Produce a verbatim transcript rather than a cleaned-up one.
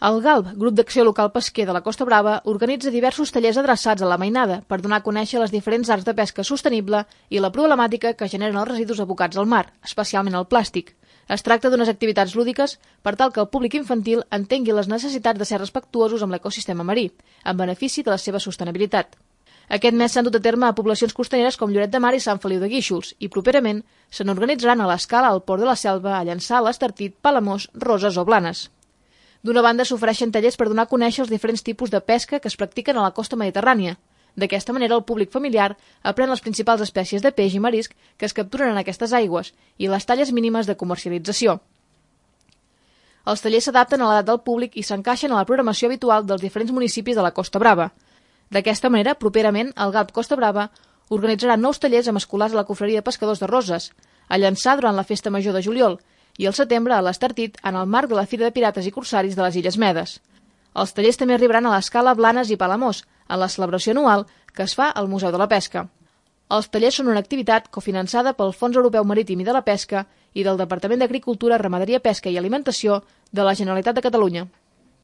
El GALB, Grup d'Acció Local Pesquer de la Costa Brava, organitza diversos tallers adreçats a la mainada per donar a conèixer les diferents arts de pesca sostenible i la problemàtica que generen els residus abocats al mar, especialment el plàstic. Es tracta d'unes activitats lúdiques per tal que el públic infantil entengui les necessitats de ser respectuosos amb l'ecosistema marí, en benefici de la seva sostenibilitat. Aquest mes s'han dut a terme a poblacions costaneres com Lloret de Mar i Sant Feliu de Guíxols i properament se n'organitzaran a l'Escala, al Port de la Selva, a Llançà, l'Estartit, Palamós, Roses o Blanes. D'una banda s'ofereixen tallers per donar a conèixer els diferents tipus de pesca que es practiquen a la costa mediterrània. D'aquesta manera el públic familiar aprèn les principals espècies de peix i marisc que es capturen en aquestes aigües i les talles mínimes de comercialització. Els tallers s'adapten a l'edat del públic i s'encaixen a la programació habitual dels diferents municipis de la Costa Brava. D'aquesta manera, properament, el GALB Costa Brava organitzarà nous tallers amb escolars a la Confraria de Pescadors de Roses, a Llançà durant la Festa Major de juliol i al setembre a l'Estartit en el marc de la Fira de Pirates i Corsaris de les Illes Medes. Els tallers també arribaran a l'Escala, Blanes i Palamós, en la celebració anual que es fa al Museu de la Pesca. Els tallers són una activitat cofinançada pel Fons Europeu Marítim i de la Pesca i del Departament d'Agricultura, Ramaderia, Pesca i Alimentació de la Generalitat de Catalunya.